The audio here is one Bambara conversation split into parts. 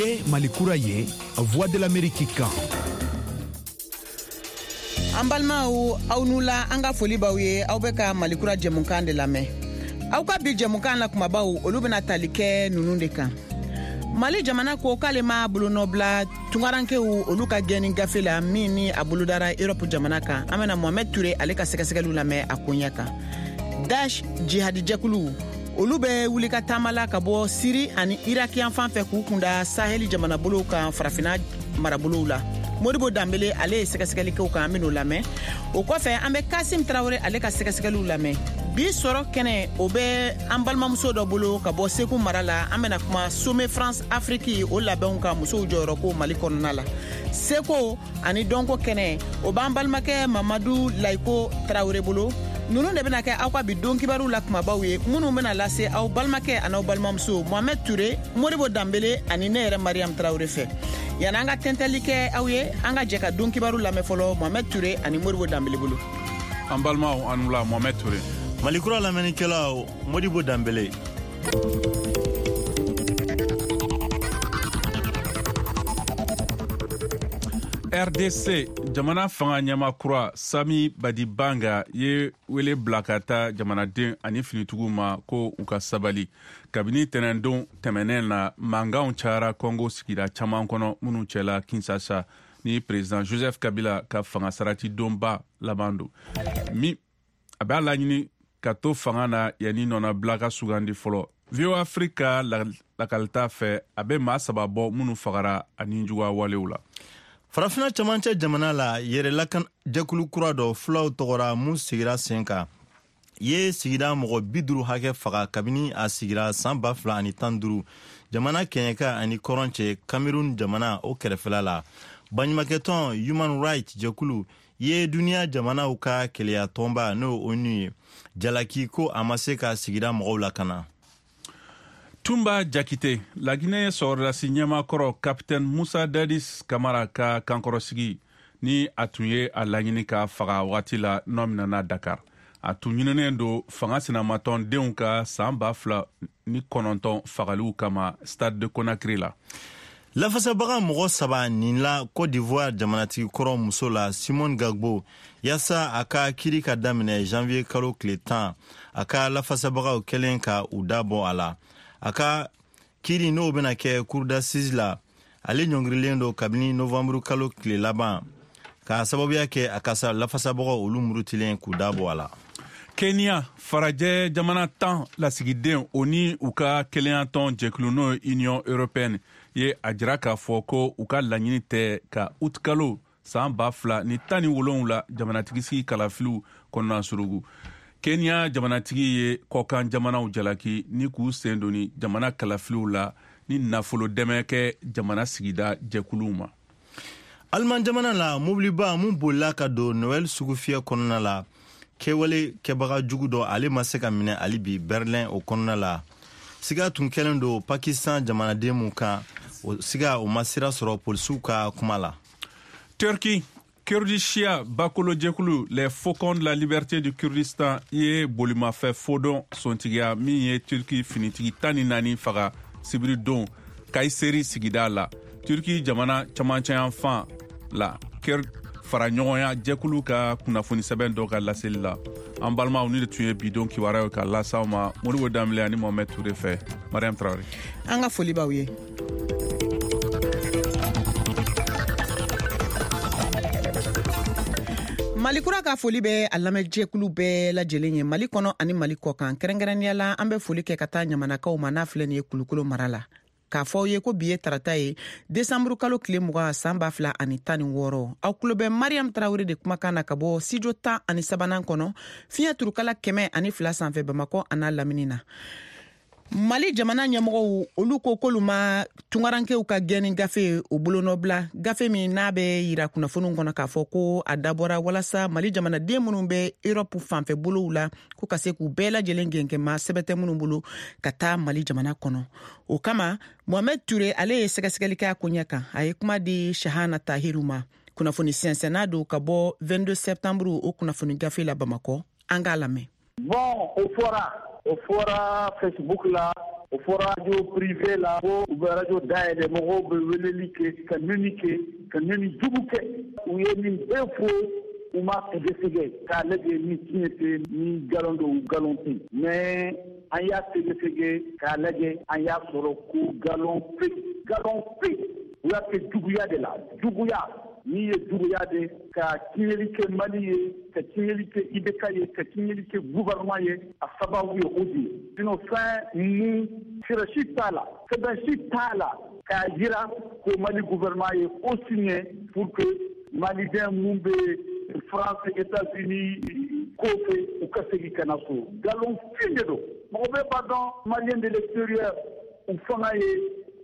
Nin ye Mali kura ye, Voix de l'Amérique kan. An balimaw, aw n'u la, an ka foli b'aw ye. Aw bɛ ka Malikura jɛmukan de lamɛn. Aw ka bi jɛmukan la kumabaw, olu bɛna tali kɛ ninnu de kan: Mali jamana ko k'ale ma bolonɔbila tungarankew olu ka gɛnni gafe la min ni a bolodara Erɔpu jamana kan. An bɛna Mohamɛd Ture ale ka sɛgɛsɛgɛliw lamɛn a koɲɛ kan. Daesh jihadijɛkulu, olu bɛ wuli ka taama la ka bɔ Siri ani Iraki yan fan fɛ k'u kunda Saheli jamanabolow kan Farafina marabolow la. Modibo Danbele ale ye sɛgɛsɛgɛli kɛw kan, an ben'o lamɛn. O kɔfɛ, an bɛ Kasim Tarawele ale ka sɛgɛsɛgɛliw lamɛn. Bi sɔrɔ kɛnɛ, o bɛ an balimamuso dɔ bolo ka bɔ Segu mara la. An bena kuma Sommet France Afrique o labɛnw ka musow jɔyɔrɔ ko Mali kɔnɔna la. Seko ani dɔnko kɛnɛ, o b'an balimakɛ Mamadu Layiko Tarawele bolo. Nunu de bena kɛ aw ka bi don kibaru la kumabaw ye, minnu bena lase aw balimakɛ an'aw balimamuso Mohamɛd Ture, Modibo Danbele ani ne yɛrɛ Mariam Tarawele fɛ. Yanni an ka tɛntɛli kɛ aw ye, an ka jɛ ka don kibaru lamɛn fɔlɔ Mohamɛd Ture ani Modibo Danbele bolo. An balimaw, an wula. Mohamɛd Ture. Malikura lamɛnnikɛlaw, Modibo Danbele. RDC jamana fanga ɲɛma kura Sami Badibanga ye wele bila ka taa jamanaden ani finitigiw ma ko u ka sabali. Kabini tɛnɛndon tɛmɛnɛn na, mankanw cayara Congo sigida caman kɔnɔ, minnu cɛla Kinshasa, ni président Joseph Kabila ka fanga sarati donba laban don min a b'a laɲini ka to fanga na yanni nɔnabila ka sugandi fɔlɔ. VOA Afrique ka lakalita fɛ, a bɛ maa saba bɔ minnu fagara ani juguya walew la. Farafina camancɛ jamana la, yɛrɛ jɛkulu kura dɔ fulaw tɔgɔra mun sigira sen kan ye sigida mɔgɔ 50 hakɛ faga kabini a sigira san 2015 jamana kɛɲɛka ani kɔrɔn cɛ, Cameroun jamana o kɛrɛfɛla la. Baɲumakɛtɔn Human Rights jɛkulu ye duniɲa jamanaw ka keleya tɔnba, n'o ONU ye, jalaki ko a ma se ka sigida mɔgɔw lakana. Tumba Jakite, Laginɛ sɔrɔdasi ɲɛmakɔrɔ Capitaine Musa Dadis Kamara ka kankɔrɔsigi ni a tun ye a laɲini ka faga wagati la, nɔ minɛna Dakar. A tun ɲininen don fanga sinamatɔndenw ka san 2009 fagaliw kama Stade de Conakry la. Lafasabaga mɔgɔ saba nin la Cote d'Ivoire jamanatigi kɔrɔ muso la Simone Gbagbo, yaasa a ka kiri ka daminɛ janvier kalo tile 10, a ka lafasabagaw kɛlen ka u da bɔ a la. A ka kiri n'o bena kɛ cour d'assises la, ale ɲɔngirilen don kabini novanburu kalo tile laban k'a sababuya kɛ a ka lafasabagaw olu murutilen k'u da bɔ a la. Kenya farajɛ jamana 10 lasigiden, o ni u ka kelenyatɔn jɛkulu, n'o ye Union européenne ye, a jira k'a fɔ ko u ka laɲini tɛ ka utikalo san 2017 jamanatigisigi kalafiliw kɔnɔna surugu. Kenya jamanatigi ye kɔkan jamanaw jalaki ni k'u sen doni jamana kalafiliw la ni nafolo dɛmɛ kɛ jamana sigida jɛkuluw ma. Aliman jamana la, mobiliba mun bolila ka don Noɛl sugufiyɛ kɔnɔna la, kɛwale kɛbaga jugu dɔ ale ma se ka minɛ hali bi Berlin o kɔnɔna la. Siga tun kɛlen don Pakistan jamanaden mun kan, o siga o ma sira sɔrɔ polisiw ka kuma la. Turki, Kurdishiya bakolojɛkulu Les Faucons de la Liberté du Kurdistan ye bolimafɛn fodɔn sontigiya min ye Turki finitigi 14 faga sibiridon Kayseri sigida la, Turki jamana camancɛyanfan la, Kurd faraɲɔgɔnya jɛkulu ka kunnafoni sɛbɛn dɔ ka laseli la. An balimaw, ni de tun ye bidon kibaruyaw ka las'aw ma Modibo Danbele ani Mohamed Toure fɛ. Mariam Traoré. An ka foli b'aw ye. Malikura ka foli bɛ a lamɛnjɛkulu bɛɛ lajɛlen ye Mali kɔnɔ ani Mali kɔ kan. Kɛrɛnkɛrɛnnenya la, an bɛ foli kɛ ka taa Ɲamanakaw ma n'a filɛ nin ye Kulukolo mara la, k'a fɔ aw ye ko bi ye tarata ye, desanburu kalo tile 20, san 2016. Aw kulo bɛ Mariam Tarawele de kumakan na ka bɔ studio 13nan kɔnɔ, fiɲɛ turukala 102 sanfɛ, Bamakɔ a n'a lamini na. Mali jamana ɲɛmɔgɔw, olu ko k'olu ma tungarankew ka gɛnni gafe o bolonɔbila, gafe min n'a bɛ yira kunnafoniw kɔnɔ k'a fɔ ko a dabɔra walasa Mali jamanaden minnu bɛ Erɔpu fanfɛ bolow la, ko ka se k'u bɛɛ lajɛlen gɛnkɛma sɛbɛn tɛ minnu bolo ka taa Mali jamana kɔnɔ. O kama, Mohamɛd Ture ale ye sɛgɛsɛgɛli kɛ a koɲɛ kan. A ye kuma di Shahana Tahiru ma, kunnafoni sɛnsɛnna don ka bɔ 22 septembre o kunnafoni gafe la Bamakɔ. An k'a lamɛn. Bon, o fɔra Facebook la. O fɔra radio privé la ko u bɛ radio dayɛlɛ, mɔgɔw bɛ weleli kɛ, ka nɛni kɛ, ka nɛni jugu kɛ. U ye nin bɛɛ fɔ, u ma sɛgɛsɛgɛ k'a lajɛ ni tiɲɛ tɛ, ni nkalon don, nkalon tɛ. Mais an y'a sɛgɛsɛgɛ k'a lajɛ, an y'a sɔrɔ ko nkalon fin, nkalon fin. U y'a kɛ juguya de la, juguya. N'i ye juguya de ka tiɲɛli kɛ Mali ye, ka tiɲɛli kɛ IBK ye, ka tiɲɛli kɛ gouvernement ye, a sababu ye o de ye. Sinon fɛn mun sira si t'a la, sɛbɛn si t'a la k'a jira ko Mali gouvernement ye ko signé pour que Maliden mun bɛ France, États-Unis kɔfɛ, u ka segin ka na so. Nkalon fin de don. Mɔgɔ bɛɛ b'a dɔn Malien de l'extérieur u fanga ye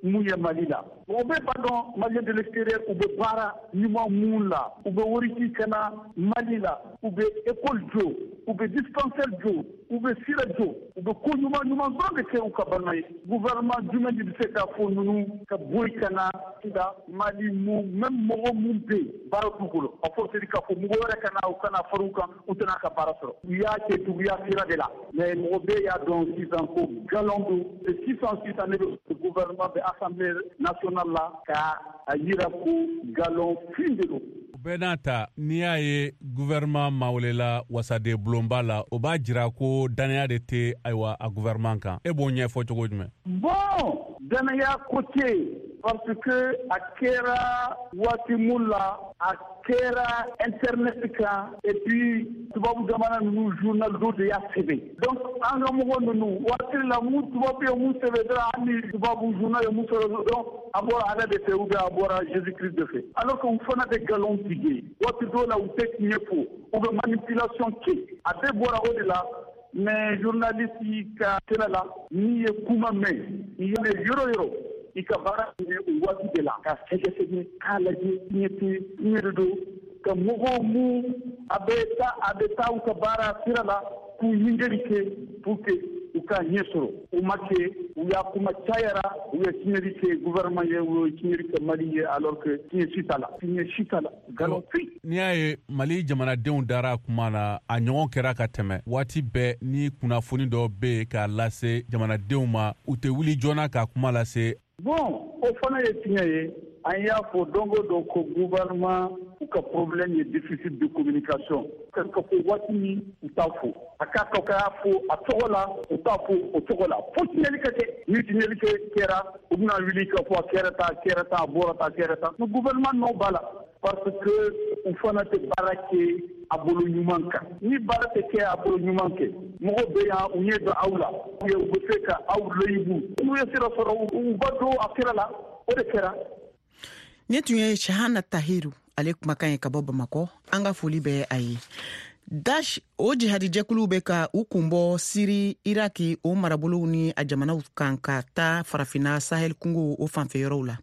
mun ye Mali la. Mɔgɔ bɛɛ b'a dɔn Malien de l'extérieur u bɛ baara ɲuman mun la, u bɛ wari ci ka na Mali la, u bɛ école jɔ, u bɛ dispensaire jɔ, u bɛ sira jɔ, u bɛ ko ɲuman ɲuman dɔrɔn de kɛ u ka balima ye. Gouvernement jumɛn de bɛ se k'a fɔ ninnu ka bɔ yen ka na nka Mali mun même mɔgɔ mun bɛ yen baara t'u bolo, a forcé k'a fɔ mɔgɔ wɛrɛ ka na, u kana fara u kan, u tɛna ka baara sɔrɔ. U y'a kɛ juguya sira de la, mais mɔgɔ bɛɛ y'a dɔn sisan ko nkalon don. Sisan sisan ne bɛ gouvernement bɛ Assemblée nationale la ka a yira ko nkalon fin de don. O bɛɛ n'a ta, n'i y'a ye gouvernement ma welela wasaden bulonba la, o b'a jira ko dannaya de tɛ ayiwa a gouvernement kan. E b'o ɲɛfɔ cogo jumɛn? Bon, dannaya ko tɛ yen, parce que a kɛra waati mun la, a kɛra internet kan, et puis tubabu jamana ninnu journal dɔ de y'a sɛbɛn. Donc an ka mɔgɔ ninnu waati la mun tubabu ye mun sɛbɛn dɔrɔn, hali ni tubabu journal ye mun sɛbɛn dɔrɔn, a bɔra Ala de fɛ ou bien a bɔra Jésus Christ de fɛ, alors que u fana bɛ nkalon tigɛ. Waati dɔw la u tɛ tiɲɛ fɔ, u bɛ manipulation kɛ, a bɛɛ bɔra o de la. Mais journaliste ka sira la, n'i ye kuma mɛn, i ye yɔrɔ yɔrɔ, i ka baara ye o waati de la ka sɛgɛsɛgɛ k'a lajɛ tiɲɛ tɛ, tiɲɛ de don, ka mɔgɔw mun a bɛ taa u ka baara sira la k'u ɲininkali kɛ pour que u ka ɲɛ sɔrɔ. U ma kɛ, u y'a kuma cayara, u ye tiɲɛli kɛ gouvernement ye, u ye tiɲɛli kɛ Mali ye, alors que tiɲɛ si t'a la, tiɲɛ si t'a la, nkalon fin. N'i y'a ye Mali jamanadenw dara kuma na, a ɲɔgɔn kɛra ka tɛmɛ waati bɛɛ, ni kunnafoni dɔ bɛ yen k'a lase jamanadenw ma, u tɛ wuli joona ka kuma lase. Bon, o fana ye tiɲɛ ye. An y'a fɔ don o don ko gouvernement u ka problème ye déficit de communication. Ka fɔ waati min, u t'a fɔ, a k'a to k'a fɔ a tɔgɔ la, u t'a fɔ o cogo la, fo tiɲɛli ka kɛ. Ni tiɲɛli kɛ kɛra, u bɛna wuli ka fɔ a kɛra tan, a kɛra tan, a bɔra tan, a kɛra tan. Mais gouvernement nɔ b'a la, parce que u fana tɛ baara kɛ a bolo ɲuman kan. Ni baara tɛ kɛ a bolo ɲuman kɛ, mɔgɔw bɛ yan, u ɲɛ bɛ aw la, u bɛ se ka aw layibu. N'u ye sira sɔrɔ, u ba don a sira la. O de kɛra. Nin tun ye Shahana Tahiru ale kumakan ye ka bɔ Bamakɔ. An ka foli bɛ a ye. Daesh, o jihadijɛkuluw bɛ ka u kunbɔ Siri, Iraki o marabolow ni a jamanaw kan ka taa Farafina Sahel kungo o fanfɛ yɔrɔw la.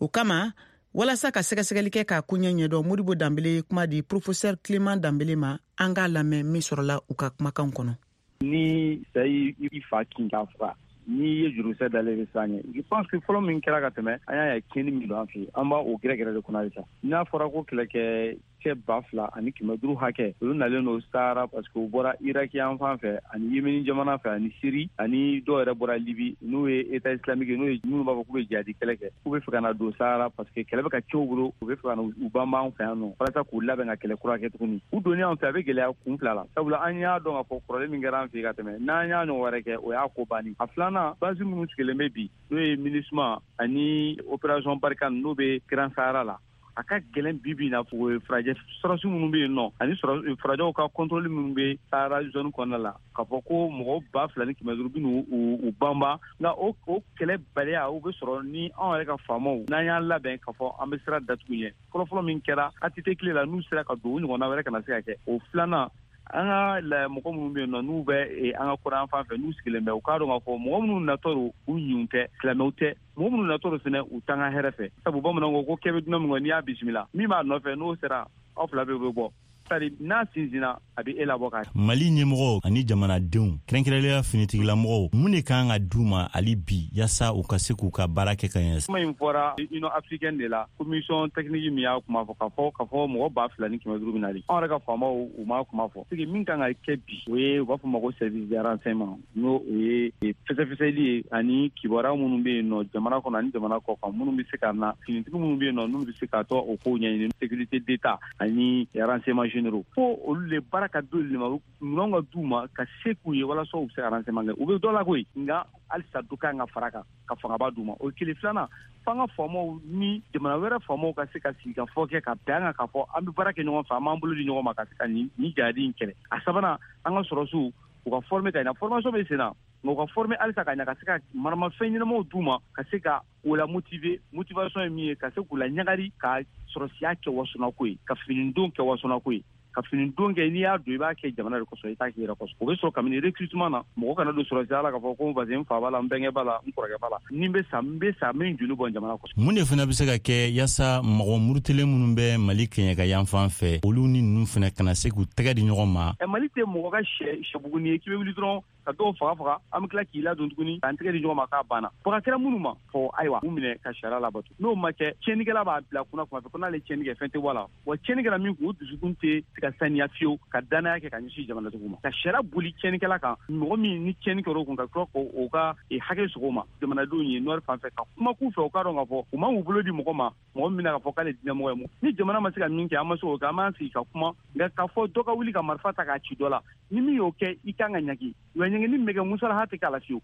O kama, walasa ka sɛgɛsɛgɛli kɛ k'a koɲɛ ɲɛdɔn, Modibo Danbele ye kuma di professeur Clément Danbele ma. An k'a lamɛn min sɔrɔla u ka kumakan kɔnɔ. Ni sa i fa kin k'a faga, n'i ye jurusɛ dalen bɛ siran ɲɛ, je pense que fɔlɔ min kɛra ka tɛmɛ, an y'a ye tiɲɛni min don an fɛ yen, an b'a o gɛrɛgɛrɛ de kɔnɔ halisa. N'a fɔra ko kɛlɛkɛ cɛ 2500 hakɛ, olu nalen don Sahara parce que u bɔra Iraki yan fan fɛ ani Yemeni jamana fɛ ani Siri, ani dɔw yɛrɛ bɔra Libi, n'o ye État islamique ye, n'o ye minnu b'a fɔ k'u bɛ jihadi kɛlɛ kɛ, k'u bɛ fɛ ka na don Sahara parce que kɛlɛ bɛ ka cɛw bolo, u bɛ fɛ ka na u banban an fɛ yan nɔ walasa k'u labɛn ka kɛlɛ kura kɛ tuguni. U donni an fɛ, a bɛ gɛlɛya kun fila la, sabula an y'a dɔn k'a fɔ kɔrɔlen min kɛra an fɛ ka tɛmɛ, n'an y'a ɲɔgɔn wɛrɛ kɛ, o y'a ko banni. A filanan, base minnu sigilen bɛ bi, n'o ye MINUSMA ani opération Barkhane, n'o bɛ Grand Sahara la, a ka gɛlɛn bi bi na farajɛ sɔrɔsi minnu bɛ yen nɔ ani farajɛw ka contrôle minnu bɛ Sahara zone kɔnɔna la, k'a fɔ ko mɔgɔ 2500 bɛ n'u banban. Nka o kɛlɛ baliya, o bɛ sɔrɔ ni anw yɛrɛ ka faamaw n'an y'an labɛn k'a fɔ an bɛ sira datugu ɲɛ. Fɔlɔfɔlɔ min kɛra ATT tile la, n'u sera ka don, o ɲɔgɔnna wɛrɛ kana se ka kɛ. O filanan, an ka mɔgɔ minnu bɛ yen nɔ, n'u bɛ an ka kɔrɔn fan fɛ, n'u sigilen bɛ, u k'a dɔn k'a fɔ mɔgɔ minnu natɔ don, u ɲun tɛ, silamɛw tɛ. Mɔgɔ minnu natɔ don fɛnɛ, u t'an ka hɛrɛ fɛ, sabu bamananw ko ko kɛ bɛ dunan min kɔ, n'i y'a bisimila, min b'a nɔfɛ, n'o sera, aw fila bɛɛ bɛ bɔ. C'est-à-dire n'a sinsinna, a bɛ e labɔ ka. Mali ɲɛmɔgɔw ani jamanadenw, kɛrɛnkɛrɛnnenya finitigilamɔgɔw, mun de kan ka d'u ma hali bi yaasa u ka se k'u ka baara kɛ ka ɲɛ? Kuma in fɔra Union africaine de la, commission technique min y'a kuma fɔ, k'a fɔ mɔgɔ 2500 bɛ nali. Anw yɛrɛ ka faamaw, u m'a kuma fɔ. C'est que min kan ka kɛ bi, o ye u b'a fɔ ma ko service de renseignement, n'o o ye fɛsɛfɛsɛli ye ani kibaruya minnu bɛ yen nɔ jamana kɔnɔ ani jamana kɔ kan, minnu bɛ se ka na, finitigi minnu bɛ yen nɔ, n'olu bɛ se ka tɔ o kow ɲɛɲini, sécurité d'État ani renseignement généraux, fo olu le baara ka d'olu de ma, minɛnw ka d'u ma ka se k'u ye walasa u bɛ se ka renseignement kɛ. U bɛ dɔ la koyi, nka halisa dɔ kan ka fara kan ka fangaba d'u ma. O ye kelen. Filanan, f'an ka faamaw ni jamana wɛrɛ faamaw ka se ka sigi ka fɔ kɛ ka bɛn an kan k'a fɔ an bɛ baara kɛ ɲɔgɔn fɛ, an b'an bolo di ɲɔgɔn ma ka se ka nin jadi in kɛlɛ. A sabanan, an ka sɔrɔsiw, u ka former ka ɲɛ. Formation bɛ sen na, nka u ka former halisa ka ɲɛ, ka se ka maramafɛn ɲɛnamaw d'u ma, ka se ka o la motiver. Motivation ye min ye, ka se k'u la ɲagari ka sɔrɔsiya kɛ wasonako ye, ka finidon kɛ wasonako ye, ka finidon kɛ. N'i y'a don, i b'a kɛ jamana de kosɔn, i t'a kɛ i yɛrɛ kosɔn. O bɛ sɔrɔ kabini recrutement na. Mɔgɔ kana don sɔrɔsiya la k'a fɔ ko parce que n fa b'a la, n bɛnkɛ b'a la, n kɔrɔkɛ b'a la. Ni n bɛ sa, n bɛ sa, n bɛ n joli bɔn jamana kosɔn. Mun de fana bɛ se ka kɛ yaasa mɔgɔ murutilen minnu bɛ Mali kɛɲɛka yan fan fɛ, olu ni ninnu fana kana se k'u tɛgɛ di ɲɔgɔn ma? Ɛ, Mali tɛ mɔgɔ ka sɛ sɛbuguni ye k'i bɛ wuli dɔrɔn ka dɔw faga faga, an bɛ tila k'i ladon tuguni k'an tɛgɛ di ɲɔgɔn ma k'a banna. Faga kɛra minnu ma fɔ, ayiwa, u minɛ ka sariya labato. N'o ma kɛ, tiɲɛnikɛla b'a bila kunna kuma fɛ ko n'ale tiɲɛni kɛ, fɛn tɛ bɔ a la wa. Tiɲɛni kɛra min kun, o dusukun tɛ se ka saniya fiyewu ka danaya kɛ ka ɲɛsin jamanatigiw ma, ka sariya boli tiɲɛnikɛla kan. Mɔgɔ min ni tiɲɛni kɛra o kun, ka tila k'o ka hakɛ sogo ma jamanadenw ye nord fan fɛ, ka kuma k'u fɛ, u k'a dɔn k'a fɔ u man k'u bolo di mɔgɔ ma, mɔgɔ min bɛna k'a fɔ k'ale diinɛmɔgɔ ye. Ni jamana ma se ka min kɛ, an ma se k'o kɛ, an b'an sigi ka kuma. Nka k'a fɔ dɔ ka wuli ka marifa ta k'a ci dɔ la, ni min y'o kɛ, i kan ka ɲagi wa. Ɲangini min bɛ kɛ, musalaha tɛ k'a la fiyewu.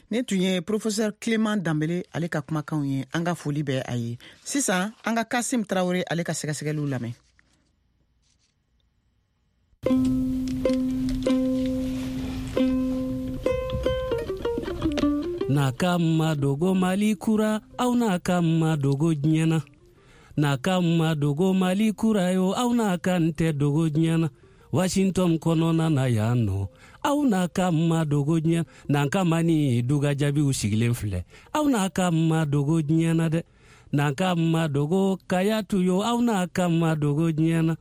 Ne tun ye professeur Clément Danbele, ale ka kumakanw ye. An ka foli bɛ a ye. Sisan, an ka Kasim Tarawele, ale ka sɛgɛsɛgɛliw lamɛn. N'a ka ma dogo Mali kura, aw n'a ka ma dogo diɲɛ na. N'a ka ma dogo Mali kura yo, aw n'a ka n tɛ dogo diɲɛ na. Washington kɔnɔna na yan nɔ, aw n'a ka ma dogo diɲɛ. N'an ka ma ni duga jaabiw sigilen filɛ, aw n'a ka ma dogo diɲɛ na dɛ. N'an ka ma dogo Kayatu yo, aw n'a ka ma dogo diɲɛ na.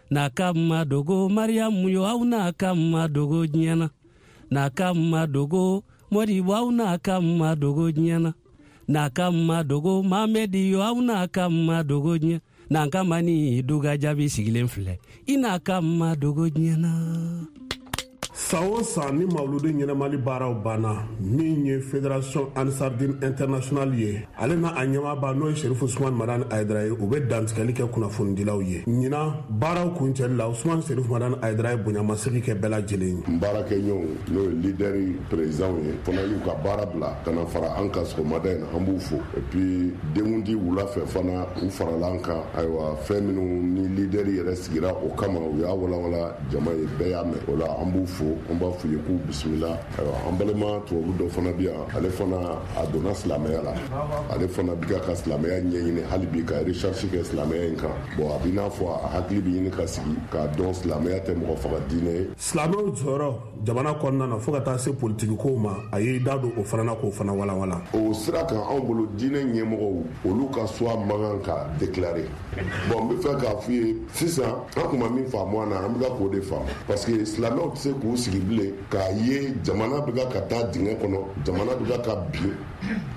N'a ka ma dogo Mariyamu yo, aw n'a ka ma dogo diɲɛ na. N'a ka ma dogo Modibo, aw n'a ka ma dogo diɲɛ na. N'a ka ma dogo Mamɛdi yo, aw n'a ka ma dogo diɲɛ. N'an ka ma ni duga jaabi sigilen filɛ, i n'a ka ma dogo diɲɛ na. San o san, ni mawuludi ɲɛnamali baaraw banna, min ye Fédération Ansardine International ye, ale na a ɲɛmaaba, n'o ye Serifu Usumani Madani Ayidara ye, u bɛ dantigɛli kɛ kunnafonidilaw ye. Ɲinan baaraw kuncɛli la, Usumani Serifu Madani Ayidara ye bonyamasegi kɛ bɛɛ lajɛlen ye. N baarakɛɲɔgɔnw, n'o ye leader président ye fana, y'u ka baara bila ka na fara an kan sɔgɔmada in na, an b'u fo. Et puis denkundi wula fɛ fana, u farala an kan. Ayiwa, fɛn minnu ni leader yɛrɛ sigira o kama, u y'a walawala jama ye, bɛɛ y'a mɛn. O la, an b'u fo, an b'a f'u ye k'u bisimila. Ayiwa, an balima tubabu dɔ fana bi yan, ale fana a donna silamɛya la, ale fana bi ka silamɛya ɲɛɲini hali bi, ka recherche kɛ silamɛya in kan. Bon, a b'i n'a fɔ a hakili bɛ ɲini ka sigi k'a dɔn silamɛya tɛ mɔgɔ faga diinɛ ye. Silamɛw jɔyɔrɔ jamana kɔnɔna na, fo ka taa se politikikow ma, a y'i da don o fana na k'o fana walawala. O sira kan, anw bolo, diinɛ ɲɛmɔgɔw, olu ka choix man kan ka déclarer. Bon, n bɛ fɛ k'a f'u ye sisan, an kun ma min faamu a na, an bɛ ka k'o de faamu, parce que silamɛw tɛ se k'u sigi bilen k'a ye jamana bɛ ka taa dingɛ kɔnɔ, jamana bɛ ka bin,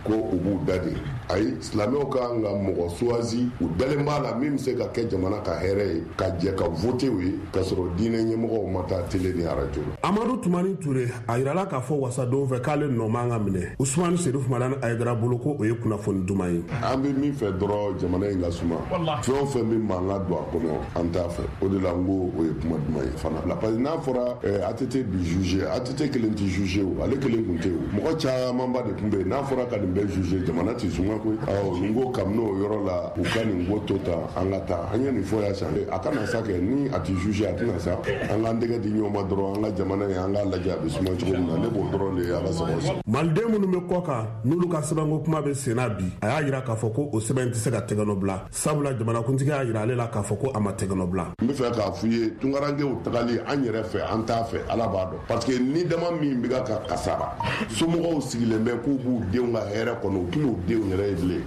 ko u b'u da de. Ayi, silamɛw ka kan ka mɔgɔ choisi u dalen b'a la min bɛ se ka kɛ jamana ka hɛrɛ ye, ka jɛ ka voter u ye, k'a sɔrɔ diinɛ ɲɛmɔgɔw ma taa télé ni arajo la. Amadu Tumani Ture, a yirala k'a fɔ wasadenw fɛ k'ale nɔ man ka minɛ Usumani Serifu Madani Ayidara bolo, ko o ye kunnafoni duman ye. An bɛ min fɛ dɔrɔn, jamana in ka suma. Fɛn o fɛn bɛ mankan don a kɔnɔ, an t'a fɛ. O de la n ko o ye kuma duman ye fana, parce que n'a fɔra ATT bi juger, ATT kelen tɛ juger o, ale kelen kun tɛ o, mɔgɔ camanba de tun bɛ yen. N'a fɔra ka nin bɛɛ juger, jamana tɛ suma koyi. Awɔ, n ko kabini o yɔrɔ la, u ka nin ko to tan, an ka taa. An ye nin fɔ yan sisan, a kana sa kɛ ni a tɛ juger, a tɛna sa. An k'an tɛgɛ di ɲɔgɔn ma dɔrɔn, an ka jamana in, an k'a lajɛ a bɛ suma cogo min na. Ne b'o dɔrɔn de ye. Ala sago sago. Maliden minnu bɛ kɔ kan, n'olu ka sɛbɛnko kuma bɛ sen na bi, a y'a yira k'a fɔ ko o sɛbɛn tɛ se ka tɛgɛnɔ bila, sabula jamanakuntigi y'a yira ale la k'a fɔ ko a ma tɛgɛnɔ bila. N bɛ fɛ k'a f'u ye, tunkarankew tagali an yɛrɛ fɛ, an t'a fɛ. Ala b'a dɔn, parce que ni dama min bɛ ka kasara, somɔgɔw sigilen bɛ k'u b'u denw ka hɛrɛ kɔnɔ, u tɛn'u denw yɛrɛ ye bilen.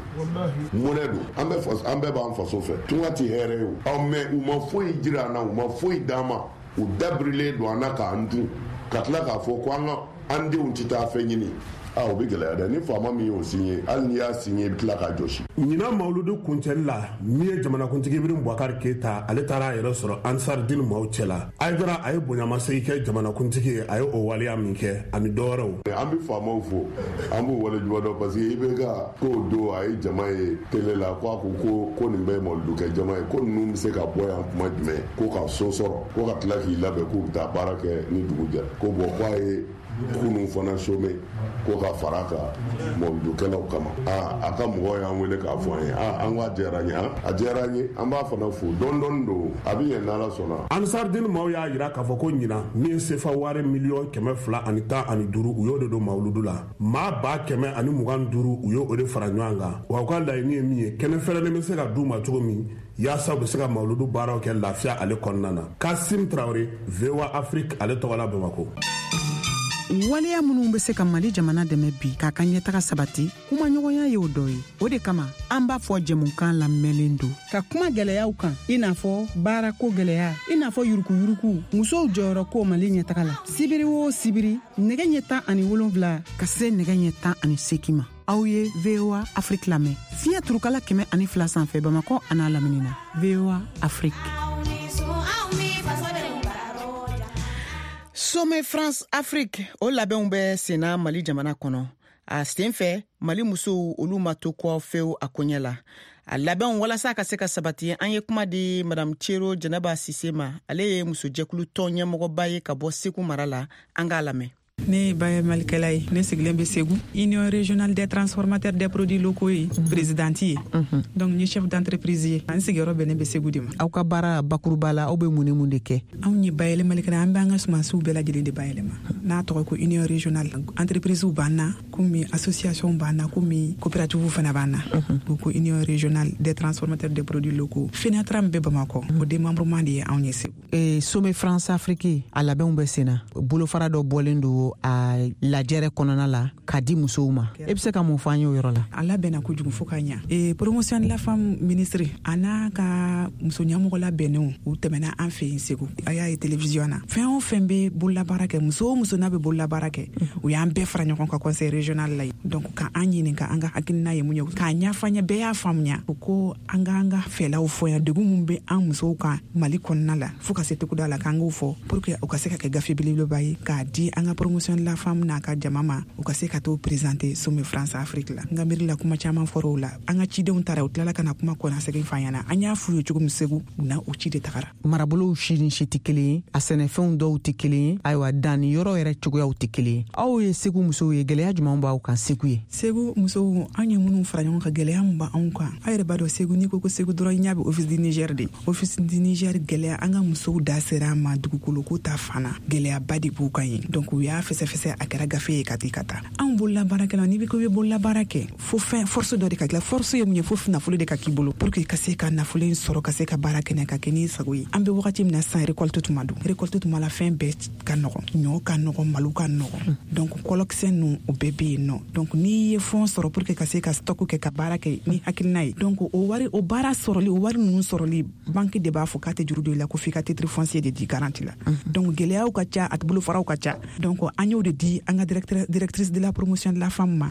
Mɔnɛ don, an bɛɛ b'an faso fɛ, tunga tɛ hɛrɛ ye o. Ɔ mais u ma foyi jira an na, u ma foyi d'an ma, u dabirilen don an na k'an dun, ka tila k'a fɔ ko an ka an denw tɛ taa fɛn ɲini. O bɛ gɛlɛya dɛ. Ni faama min y'o signé, hali n'i y'a signé, i bɛ tila k'a jɔsi. Ɲinan mawuludu kuncɛli la, min ye jamanakuntigi Ibrahim Boubacar Keita, ale taara a yɛrɛ sɔrɔ Ansar Dine maaw cɛ la. Aidara a ye bonyamasegin kɛ jamanakuntigi ye, a ye o waleya min kɛ ani dɔwɛrɛw. An bɛ faamaw fo, an b'u waleɲuman dɔn, parce que i bɛ ka k'o don a ye jama ye télé la, ko a ko ko nin bɛɛ ye mawuludukɛ jama ye, ko ninnu bɛ se ka bɔ yan kuma jumɛn, ko ka so sɔrɔ, ko ka tila k'i labɛn k'u bɛ taa baara kɛ ni dugu jɛra, ko bon k'a ye kunun fana somɛ ko ka fara kan mawuludukɛlaw kama. A ka mɔgɔw y'an wele k'a fɔ an ye, an ko a diyara an ye, a diyara an ye, an b'a fana fo dɔɔni dɔɔni don, a bɛ ɲɛ n'Ala sɔnna. Ansar Dine maaw y'a jira k'a fɔ ko ɲinan min ye sefa wari 215 miliyɔn u y'o de don mawuludu la, maa 125 000 u y'o de fara ɲɔgɔn kan. Wa u ka laɲini ye min ye, kɛnɛ fɛrɛlen bɛ se ka d'u ma cogo min yaasa u bɛ se ka mawuludu baaraw kɛ lafiya ale kɔnɔna na. Kasim Traoré, VOA Afrique ale tɔgɔ la, Bamakɔ. Waleya minnu bɛ se ka Mali jamana dɛmɛ bi k'a ka ɲɛtaga sabati, kumaɲɔgɔnya y'o dɔ ye. O de kama an b'a fɔ jɛmukan lamɛnlen don ka kuma gwɛlɛyaw kan, i n'a fɔ baarako gwɛlɛya, i n'a fɔ yurukuyuruku, musow jɔyɔrɔ ko Mali ɲɛtaga la. Sibiri o sibiri, nɛgɛ ɲɛ 17 ka se nɛgɛ ɲɛ 18 ma, aw ye VOA Afrique lamɛn fiɲɛ turukala 102 sanfɛ, Bamakɔ an'a lamini na. VOA Afrique. Sommet France Afrique, o labɛnw bɛ senna Mali jamana kɔnɔ. A sen fɛ, Mali musow olu ma to kɔ fewu a koɲɛ la. A labɛnw walasa ka se ka sabati, an ye kuma di Madame Cero Jɛnɛba Sise ma. Ale ye musojɛkulu tɔn ɲɛmɔgɔba ye ka bɔ Segu mara la. An k'a lamɛn. Ne ye bayɛlɛmalikɛla ye, ne sigilen bɛ Segu, Union régionale des transformateurs des produits locaux ye présidente ye, donc n ye chef d'entreprise ye. An sigiyɔrɔ bɛnnen bɛ Segu de ma. Aw ka baara bakuruba la, aw bɛ mun ni mun de kɛ? Anw ye bayɛlɛmalikɛla, an b'an ka sumansiw bɛɛ lajɛlen de bayɛlɛma n'a tɔgɔ ko union régionale. Entreprise b'an na komi association b'an na, komi coopérative fana b'an na, ko Union régionale des transformateurs des produits locaux, FENATRA min bɛ Bamakɔ, o démembrement de ye anw ye Segu. Sommet France Afrique, a labɛnw bɛ senna. Bolofara dɔ bɔlen don a lajɛrɛ kɔnɔna la k'a di musow ma. E bɛ se ka mun fɔ an ye o yɔrɔ la? A labɛnna kojugu fo ka ɲa. Promotion de la femme ministre a n'a ka muso ɲɛmɔgɔ labɛnnenw, u tɛmɛna an fɛ yen Segu. A y'a ye télévision na, fɛn o fɛn bɛ bololabaara kɛ, muso o muso n'a bɛ bololabaara kɛ, u y'an bɛɛ fara ɲɔgɔn kan conseil régional la yen. Donc ka an ɲininka an ka hakilina ye mun ye, k'a ɲɛfɔ an ye, bɛɛ y'a faamuya. U ko an k'an ka fɛlaw fɔ yan, degun mun bɛ an musow kan Mali kɔnɔna la fo ka se togoda la, k'an k'o fɔ pour que u ka se ka kɛ gafe belebeleba ye k'a di an ka promotion de la femme n'a ka jama ma, u ka se ka t'o présenter sommet France Afrique la. N ka miiri la, kuma caman fɔra o la. An ka cidenw taara, u tilala ka na kuma kɔnasegin f'an ɲɛna. An y'a f'u ye cogo min Segu, u na o ci de tagara. Marabolow si ni si tɛ kelen ye, a sɛnɛfɛnw dɔw tɛ kelen ye, ayiwa danni yɔrɔ yɛrɛ cogoyaw tɛ kelen ye. Aw ye Segu musow ye, gɛlɛya jumɛn b'aw kan Segu ye? Segu musow, an ye minnu fara ɲɔgɔn kan, gɛlɛya min b'anw kan, aw yɛrɛ b'a dɔn, Segu, n'i ko ko Segu dɔrɔn, i ɲɛ bɛ Office du Niger de. Office du Niger gɛlɛya, an ka musow da sera a ma. Dugukolo ko ta fana, gɛlɛyaba de b'u kan yen. Donc u y'a fɛsɛfɛsɛ, a kɛra gafe ye ka ti ka taa. Anw bololabaarakɛlaw, n'i bɛ ko i bɛ bololabaara kɛ, fo fɛn force dɔ de ka kila. Force ye mun ye? Fo nafolo de ka k'i bolo pour que ka se ka nafolo in sɔrɔ, ka se ka baara kɛ, ka kɛ n'i sago ye. An bɛ wagati min na sisan, récolte tuma don. Récolte tuma la, fɛn bɛɛ ka nɔgɔn, ɲɔ ka nɔgɔn, malo ka nɔgɔn, donc kɔlɔkisɛ ninnu, o bɛɛ bɛ yen nɔ. Donc n'i ye fonds sɔrɔ pour que ka se ka stock kɛ, ka baara kɛ ni hakilina ye, donc o wari, o baara sɔrɔli, o wari ninnu sɔrɔli, banque de b'a fɔ k'a tɛ juru don i la ko f'i ka titre foncier de di garantie la. Donc gɛlɛyaw ka ca, a bolofaraw ka ca. Donc an y'o de di an ka directrice de la promotion de la femme ma.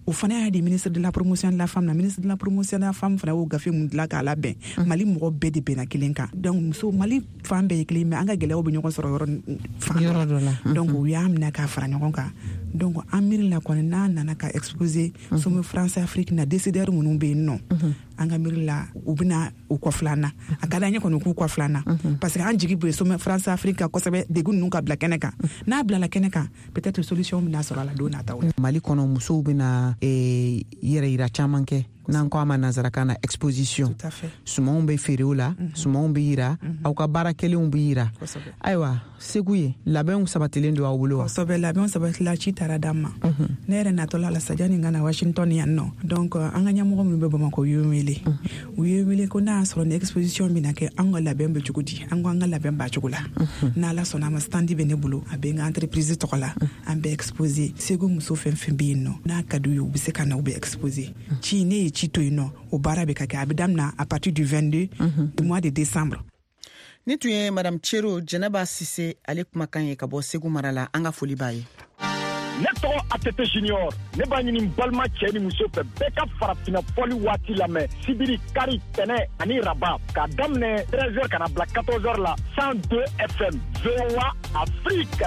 O fana y'a di ministre de la promotion de la femme na. Ministre de la promotion de la femme fana y'o gafe mun dilan k'a labɛn, Mali mɔgɔ bɛɛ de bɛnna kelen kan. Donc muso Mali fan bɛɛ ye kelen, mais an ka gɛlɛyaw bɛ ɲɔgɔn sɔrɔ yɔrɔ fan yɔrɔ dɔ la. Donc u y'a minɛ k'a fara ɲɔgɔn kan. Donc an miiri la kɔni, n'a nana ka exposer sommet France Afrique na, décideur minnu bɛ yen nɔ, an ka miiri la, u bɛna u kɔfilan na. A ka d'an ye kɔni k'u kɔfilan na, parce que an jigi bɛ sommet France Afrique kan kosɛbɛ, degun ninnu ka bila kɛnɛ kan. N'a bilala kɛnɛ kan, peut-être solution bɛna sɔrɔ a la don nataw la. Mali kɔnɔ, musow bɛna yɛrɛ yira caman kɛ, n'an ko a ma nansarakan na exposition. Sumanw bɛ feere o la, sumanw bɛ yira, aw ka baara kɛlenw bɛ yira. Ayiwa, Segu ye, labɛnw sabatilen don aw bolo wa? Kosɛbɛ, labɛnw sabatila, ci taara d'an ma. Ne yɛrɛ natɔla la sajani ka na Washington yan nɔ. Donc an ka ɲɛmɔgɔ minnu bɛ Bamakɔ, u y'u wele. wele. U ye wele ko n'a y'a sɔrɔ ni exposition bɛna kɛ, an ka labɛn bɛ cogo di? An ko an ka labɛn b'a cogo la. N'Ala sɔnna a ma, stand bɛ ne bolo, a bɛ n ka entreprise tɔgɔ la. An bɛ exposer. Segu muso fɛn fɛn bɛ yen nɔ, n'a ka d'u ye, u bɛ se ka na, u bɛ exposer. Ci ne ye ci to yen nɔ, o baara bɛ ka kɛ, a bɛ daminɛ à partir du 22 du mois de décembre. Ni tun ye Madame Cero Jɛnɛba Sise ale kumakan ye ka bɔ Segu mara la. An ka foli b'a ye. Ne tɔgɔ ATT Junior. Ne b'a ɲini balima cɛ ni muso fɛ, bɛɛ ka farafinna fɔli waati lamɛn sibiri, kari, tɛnɛ ani raba, k'a daminɛ 13h ka na bila 14h la, 102 FM, VOA Afrique.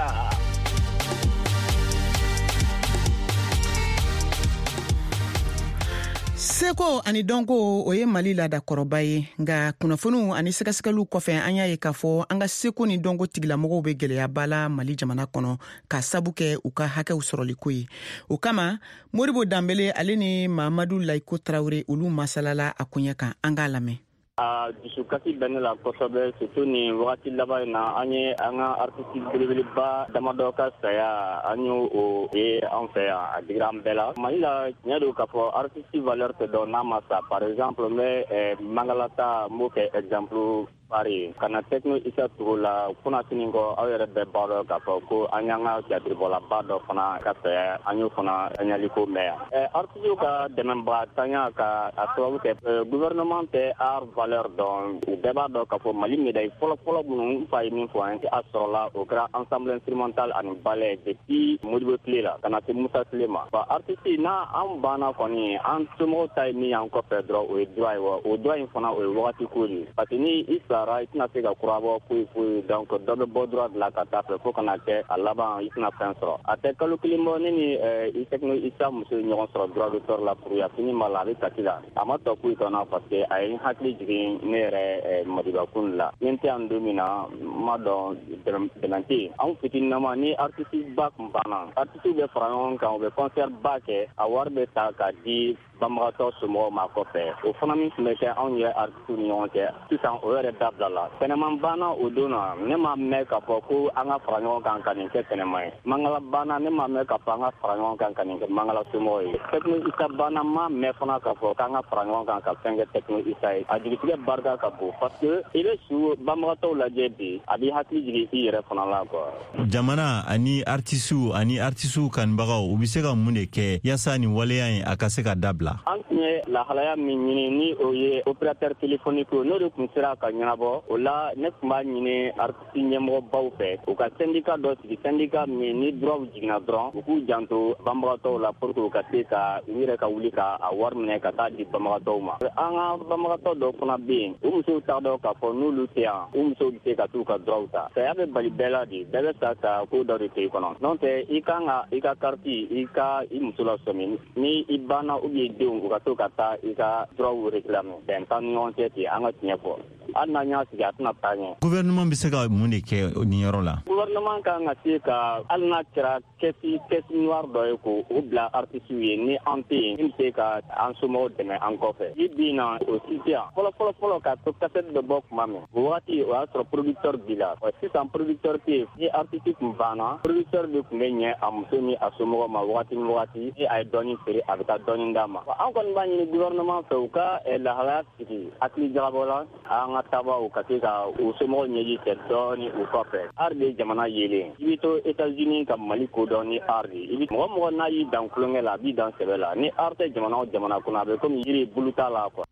Seko ani dɔnko, o ye Mali laadakɔrɔba ye. Nka kunnafoniw ani sɛgɛsɛgɛliw kɔfɛ, an y'a ye k'a fɔ an ka seko ni dɔnko tigilamɔgɔw bɛ gwɛlɛyaba la Mali jamana kɔnɔ, k'a sabu kɛ u ka hakɛw sɔrɔliko ye. O kama, Modibo Danbele ale ni Mamadu Layiko Tarawele, olu masalala a koɲɛ kan. An k'a lamɛn. A dusukasi bɛ ne la kosɛbɛ, surtout nin wagati laban in na, an ye an ka artiste belebeleba damadɔ ka saya, an y'o o ye an fɛ yan. A digira an bɛɛ la. Mali la, tiɲɛ don k'a fɔ artiste valeur tɛ dɔn n'a ma sa. Par exemple, n bɛ Mangala ta, n b'o kɛ exemple pari ka na Techno Isa Togo la. Kunasini kɔ, aw yɛrɛ bɛɛ b'a dɔn k'a fɔ ko an y'an ka théâtre dɔ fana ka saya, an y'o fana ɲaliko mɛn yan. Artiste ka dɛmɛbagatanya ka a sababu kɛ gouvernement tɛ art valeur dɔn. U bɛɛ b'a dɔn k'a fɔ Mali médaille fɔlɔ-fɔlɔ minnu, n fa ye min fɔ an ye, a sɔrɔla, o kɛra ensemble instrumental ani ballet depuis Modibo tile la ka na se Musa tile ma. Bon, artiste n'a an banna kɔni, an somɔgɔw ta ye min y'an kɔfɛ dɔrɔn, o ye droit ye. Wa o droit in fana, o ye wagati ko de ye, parce que ni i sara, i tɛna se ka kura bɔ foyi foyi. Donc dɔ bɛ bɔ droit de la ka taa fɛ fo kana kɛ a laban, i tɛna fɛn sɔrɔ. A tɛ kalo kelen bɔ, ne ni Techno Isa muso ye ɲɔgɔn sɔrɔ droit d'auteur la. Kuruya fini b'a la, a bɛ kasi la, a ma tɔ foyi tɔnna, parce que a ye n hakili jigin ne yɛrɛ Madiba kun la. Ni n tɛ yan don min na, n ma dɔn dɛmɛ tɛ yen. Anw fitininama, ni artiste ba kun banna, artiste bɛ fara ɲɔgɔn kan, u bɛ concert ba kɛ, a wari bɛ ta k'a di banbagatɔ somɔgɔw ma kɔfɛ. O fana min tun bɛ kɛ anw yɛrɛ artiste ni ɲɔgɔn cɛ, sisan o yɛrɛ dabila la. Tɛnɛman banna o don na, ne ma mɛn k'a fɔ ko an ka fara ɲɔgɔn kan ka nin kɛ tɛnɛman ye. Mangala banna, ne ma mɛn k'a fɔ an ka fara ɲɔgɔn kan ka nin kɛ Mangala somɔgɔw ye. Techno Isa banna, ma mɛn fana k'a fɔ k'an ka fara ɲɔgɔn kan ka fɛn kɛ Techno Isa ye. A jigitigɛ barika ka bon, parce que i bɛ su banbagatɔw lajɛ bi, a b'i hakili jigin i yɛrɛ fana la, quoi. Jamana ani artisiw ani artisiw kanubagaw, u bɛ se ka mun de kɛ yaasa nin waleya in a ka se ka dabila? An tun ye lahalaya min ɲini, ni o ye opérateur téléphonique, n'o de tun sera ka ɲɛnabɔ o la, ne tun b'a ɲini artiste ɲɛmɔgɔbaw fɛ, u ka syndicat dɔ sigi, syndicat min ni droit jiginna dɔrɔn, u k'u janto banbagatɔw la pour que u ka se ka u yɛrɛ ka wuli ka a wari minɛ ka taa di banbagatɔw ma. An ka banbagatɔ dɔw fana bɛ yen, u musow t'a dɔn k'a fɔ n'olu tɛ yan, u musow bɛ se ka t'u ka droit ta. Saya bɛ bali bɛɛ la de, bɛɛ bɛ sa ka ko dɔ de to i kɔnɔ. N'o tɛ, i kan ka i ka carte, i ka i muso lasɔmi ni i banna, ou bien denw, u ka to ka taa i ka droit réclamer. Bɛn t'an ni ɲɔgɔn cɛ ten. An ka tiɲɛ fɔ, hali n'an y'a sigi, a tɛna taa ɲɛ. Gouvernement bɛ se ka mun de kɛ nin yɔrɔ la? Gouvernement kan ka se ka, hali n'a kɛra caisse noire dɔ ye, k'o o bila artistes ye, ni an tɛ yen, min bɛ se ka an somɔgɔw dɛmɛ an kɔfɛ. Bi bi in na, o si tɛ yan. Fɔlɔ fɔlɔ fɔlɔ, k'a to cassette bɛ bɔ tuma min, o wagati o y'a sɔrɔ producteur b'i la. Sisan producteur tɛ yen. Ni artiste tun banna, producteur de tun bɛ ɲɛ a muso ni a somɔgɔw ma wagati ni wagati. Ni a ye dɔɔni feere, a bɛ taa dɔɔni d'a ma. An kɔni b'a ɲini gouvernement fɛ, u ka lahalaya sigi hakili jagabɔ la, an ka tabaw ka se ka u somɔgɔw ɲɛji cɛ dɔɔni u kɔfɛ. Art de ye jamana yelen. I bɛ to États-Unis ka Mali kodɔn ni art de ye. I bɛ mɔgɔ mɔgɔ n'a y'i dan tulonkɛ la, a b'i dan sɛbɛ la. Ni art tɛ jamana o jamana kɔnɔ, a bɛ komi yiri bulu t'a la, quoi.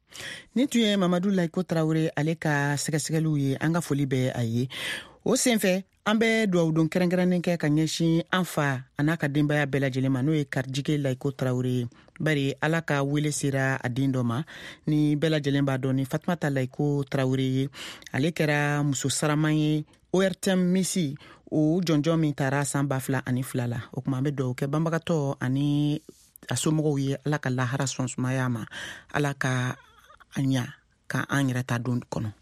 Nin tun ye Mamadu Layiko Tarawele ale ka sɛgɛsɛgɛliw ye. An ka foli bɛ a ye. O senfɛ, an bɛ dugawudon kɛrɛnkɛrɛnnen kɛ ka ɲɛsin an fa a n'a ka denbaya bɛɛ lajɛlen ma, n'o ye Karijige Layiko Tarawele ye, bari Ala ka wele sera a den dɔ ma, ni bɛɛ lajɛlen b'a dɔn ni Fatumata Layiko Tarawele ye. Ale kɛra muso saraman ye ORTM misi o jɔnjɔn min taara san 2002 la. O kuma, an bɛ dugawu kɛ banbagatɔ ani a somɔgɔw ye, Ala ka lahara sɔn sumaya ma, Ala ka a ɲa ka an yɛrɛ ta don kɔnɔ.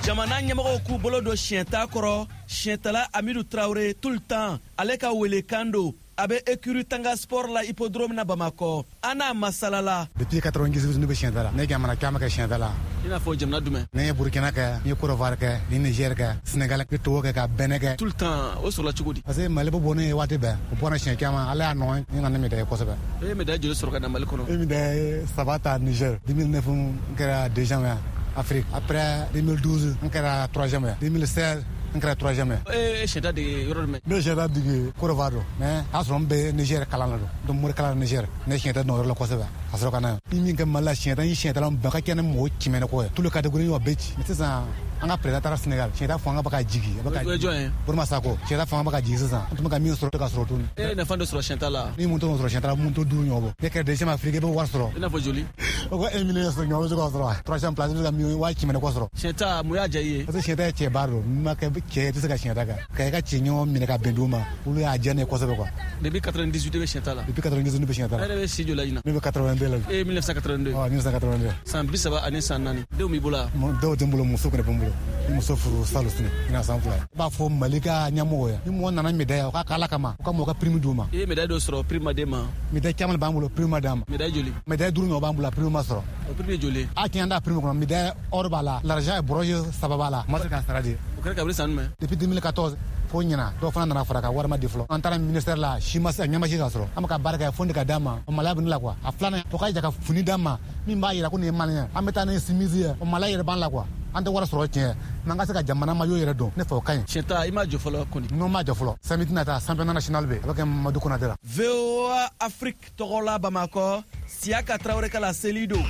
Jamana ɲɛmɔgɔw k'u bolo don siɲɛta kɔrɔ. Siɲɛtala Amidu Tarawele tout le temps, ale ka welekan don. A bɛ écurie Tanga Sport la hippodrome na Bamakɔ. An n'a masalala. Depuis 98 ne bɛ siɲɛta la. Ne jamana caman kɛ siɲɛta la. I n'a fɔ jamana jumɛn? Ne ye Burkina kɛ, n ye Côte d'Ivoire kɛ, ni Niger kɛ, Sénégal, ni Togo kɛ, ka Benin kɛ. Tout le temps, o sɔrɔla cogo di? Parce que Mali bɛ bɔ ne ye waati bɛɛ. O bɔra siɲɛ caman, Ala y'a nɔgɔya n nana ni médaille kosɛbɛ. E ye médaille joli sɔrɔ ka na Mali kɔnɔ? E ye médaille 3 ta Niger. 2009 n kɛra deuxième ye Afrique. Après 2012 n kɛra troisième ye. 2016 n kɛra troisième ye. E ye sɛta dege yɔrɔ jumɛn? Ne ye sɛta dege Côte d'Ivoire don, mais a sɔrɔ n bɛ Niger kalan na don. Donc mori kalan na Niger, ne ye sɛta dɔn o yɔrɔ la kosɛbɛ ka sɔrɔ ka na yan. Ni min kɛ Mali la sɛta, n ye sɛtala bɛn ka kɛ ni mɔgɔ kɛmɛ ni kɔ ye. Tous les catégories y'o bɛɛ ci. Mais sisan an ka président taara Sénégal, sɛta fanga bɛ ka jigin. O ye jɔn ye? Burama Sako. Sɛta fanga bɛ ka jigin sisan. An tun bɛ ka min sɔrɔ, tɛ ka sɔrɔ tuguni. E ye nafa dɔ sɔrɔ sɛta la? Ni mun t'o sɔrɔ sɛta la, mun t'o 5 ɲɔgɔn bɔ. Ne kɛra deuxième Afrique, i bɛ wari sɔrɔ. I n'a fɔ joli? O ko 1 million sɔrɔ ɲɔgɔn bɛ se k'o sɔrɔ. Troisième place, i bɛ se ka million 100 000 ni kɔ sɔrɔ. Sɛta, mun y'a diya i ye? Parce que sɛta ye cɛba don. N'i ma kɛ cɛ ye, i tɛ se ka sɛta kɛ. Ka i ka cɛ ɲɔgɔn minɛ ka bɛn d'u ma, olu y'a diya ne ye kosɛbɛ quoi. Depuis 98 i bɛ sɛta la? Depuis 98 ne bɛ sɛta la. E yɛrɛ bɛ si joli la ɲinan? Ne bɛ 82 la. E ye 1982? Awɔ, 1982. San 34. Denw b'i bolo wa? Dɔw tɛ n bolo, muso kɔni bɛ n bolo. Ni muso furu salon sini, ɲinan san 2. I b'a fɔ Mali ka ɲɛmɔgɔ ye, ni mɔgɔ nana médaille, o ka k'Ala kama, o ka mɔgɔ ka prime d'u ma. I ye médaille dɔ sɔrɔ, prime ma d'e ma? Médaille caman b'an bolo, prime ma d'an ma. Médaille joli? Médaille 5 ɲɔgɔn b'an bolo, prime ma sɔrɔ. O prime ye joli ye? A tiɲɛ an t'a prime kɔnɔ, médaille or b'a la, l'argent et bronze 3 b'a la. Ma se k'a sara de. O kɛra kabini san jumɛn? Depuis 2014. Fo ɲina dɔw fana nana fara ka wari ma di fɔlɔ. An taara ministère la, si ma se ɲɛma si ka sɔrɔ. An bɛ ka baara kɛ fo de ka d'an ma. O maloya bɛ ne la quoi. A filanan, o ka ja ka fini d'an ma min b'a yira ko nin ye malien ye. An bɛ taa ni simisi ye, o maloya yɛrɛ b'an la quoi. An tɛ wari sɔrɔ tiɲɛ, mais an ka se ka jamana maillot yɛrɛ don, ne fɛ o ka ɲi. Sɛta, i m'a jɔ fɔlɔ kɔni? Non, n m'a jɔ fɔlɔ. Samedi nata, championnat national bɛ, a bɛ kɛ Mamadu Konate la. VOA Afrique tɔgɔ la Bamakɔ, Siyaka Tarawele ka laseli don.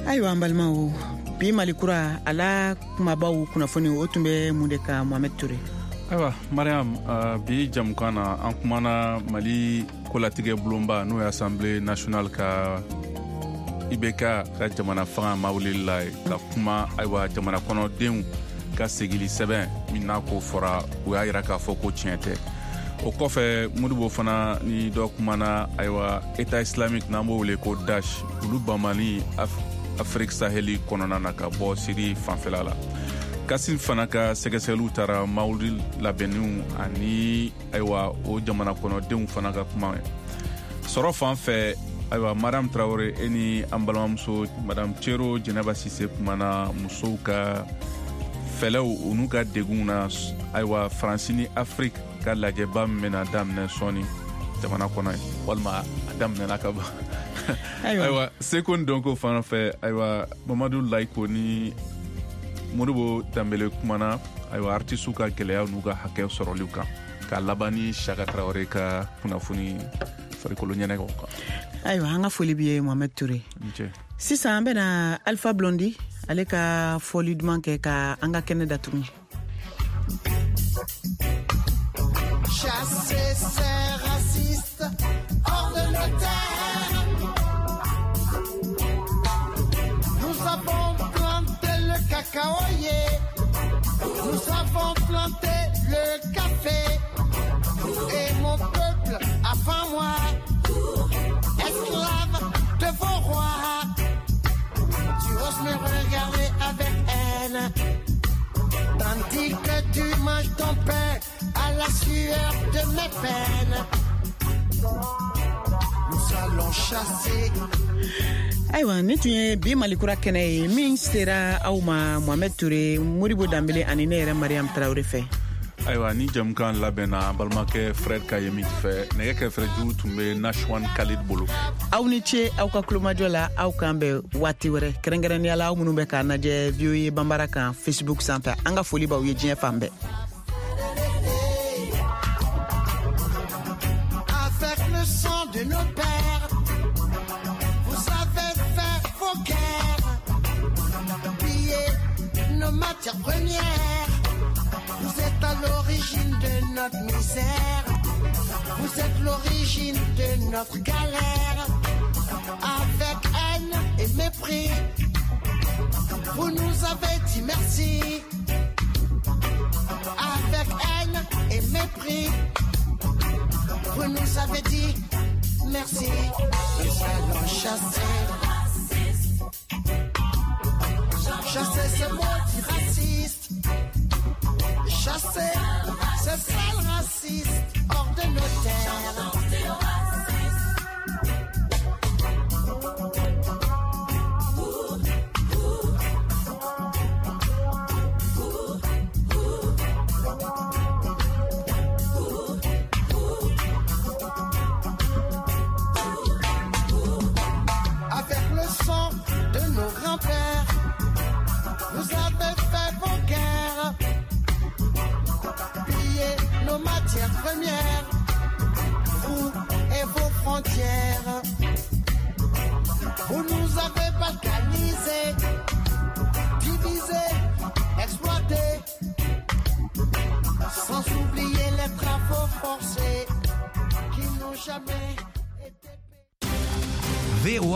Ayiwa an balimaw, bi Mali kura a la kumabaw kunnafoni o tun bɛ mun de kan, Mohamed Toure? Ayiwa Mariam, bi jamukan na an kumana Mali kolatigɛ bulonba n'o ye Assemblée nationale ka IBK ka jamana fanga mawulili la ye, ka kuma ayiwa jamana kɔnɔdenw ka segili sɛbɛn min n'a ko fɔra, u y'a yira k'a fɔ ko tiɲɛ tɛ. O kɔfɛ Modibo fana ni dɔ kumana ayiwa État islamique n'an b'o wele ko Daesh, olu bamani Afrique Saheli kɔnɔna na ka bɔ Syrie fanfɛla la. Kasim fana ka sɛgɛsɛgɛliw taara mawuli labɛnniw ani ayiwa o jamana kɔnɔdenw fana ka kuma ye. Sɔrɔ fan fɛ ayiwa Mariam Traoré e ni an balimamuso Madame Cero Jɛnɛba Sise kumana musow ka fɛlɛw u n'u ka degunw na ayiwa Faransi ni Afrique ka lajɛba min bɛna daminɛ sɔɔni jamana kɔnɔ ye, walima a daminɛna ka ban. Ayiwa seko ni dɔnko fan fɛ ayiwa Mamadu Layiko ni Modibo Danbele kumana ayiwa artisiw ka gɛlɛyaw n'u ka hakɛ sɔrɔliw kan, ka laban ni Saka Traoré ka kunnafoni farikolo ɲɛnajɛw kan. Ayiwa an ka foli b'i ye Mohamed Toure. Sisan an bɛna Alpha Blondy ale ka fɔli duman kɛ ka an ka kɛnɛ datugu. Chasser ces racistes hors de nos terres. Nous avons planté le cacaoyer, nous avons planté le café. Et mon peuple avant moi, esclave de vos rois. Tu oses me regarder avec haine, tandis que tu manges ton pain à la sueur de mes peines. Nous allons chasser. Ayiwa ni tun ye bi Mali kura kɛnɛ ye min sera aw ma Mohamed Toure, Modibo Danbele ani ne yɛrɛ Mariam Traoré fɛ. Ayiwa ni jamukan labɛnna an balimakɛ Fred Kayemit fɛ, nɛgɛ kɛrɛfɛju tun bɛ Nashwan Khalid bolo. Aw ni ce aw ka kulomajɔ la, aw k'an bɛn waati wɛrɛ, kɛrɛnkɛrɛnnenya la aw minnu bɛ k'an lajɛ VOA Banbara kan Facebook sanfɛ. An ka foli b'aw ye diɲɛ fan bɛɛ. Avec le sang de nos pères, vous avez fait vos guerres, pillé nos matières premières. Vous êtes à l'origine de notre misère, vous êtes l'origine de notre galère. Avec haine et mépris, vous nous avez dit merci. Avec haine et mépris, vous nous avez dit merci. Nous allons chasser. Chasser ces maudits racistes, chasser ces sales racistes hors de nos terres. Avec le sang de nos grands-pères, vous avez fait vos guerres, pillé nos matières premières, vous et vos frontières. Vous nous avez balkanisés, divisés, exploités, sans oublier les travaux forcés qui n'ont jamais été payés. VOA.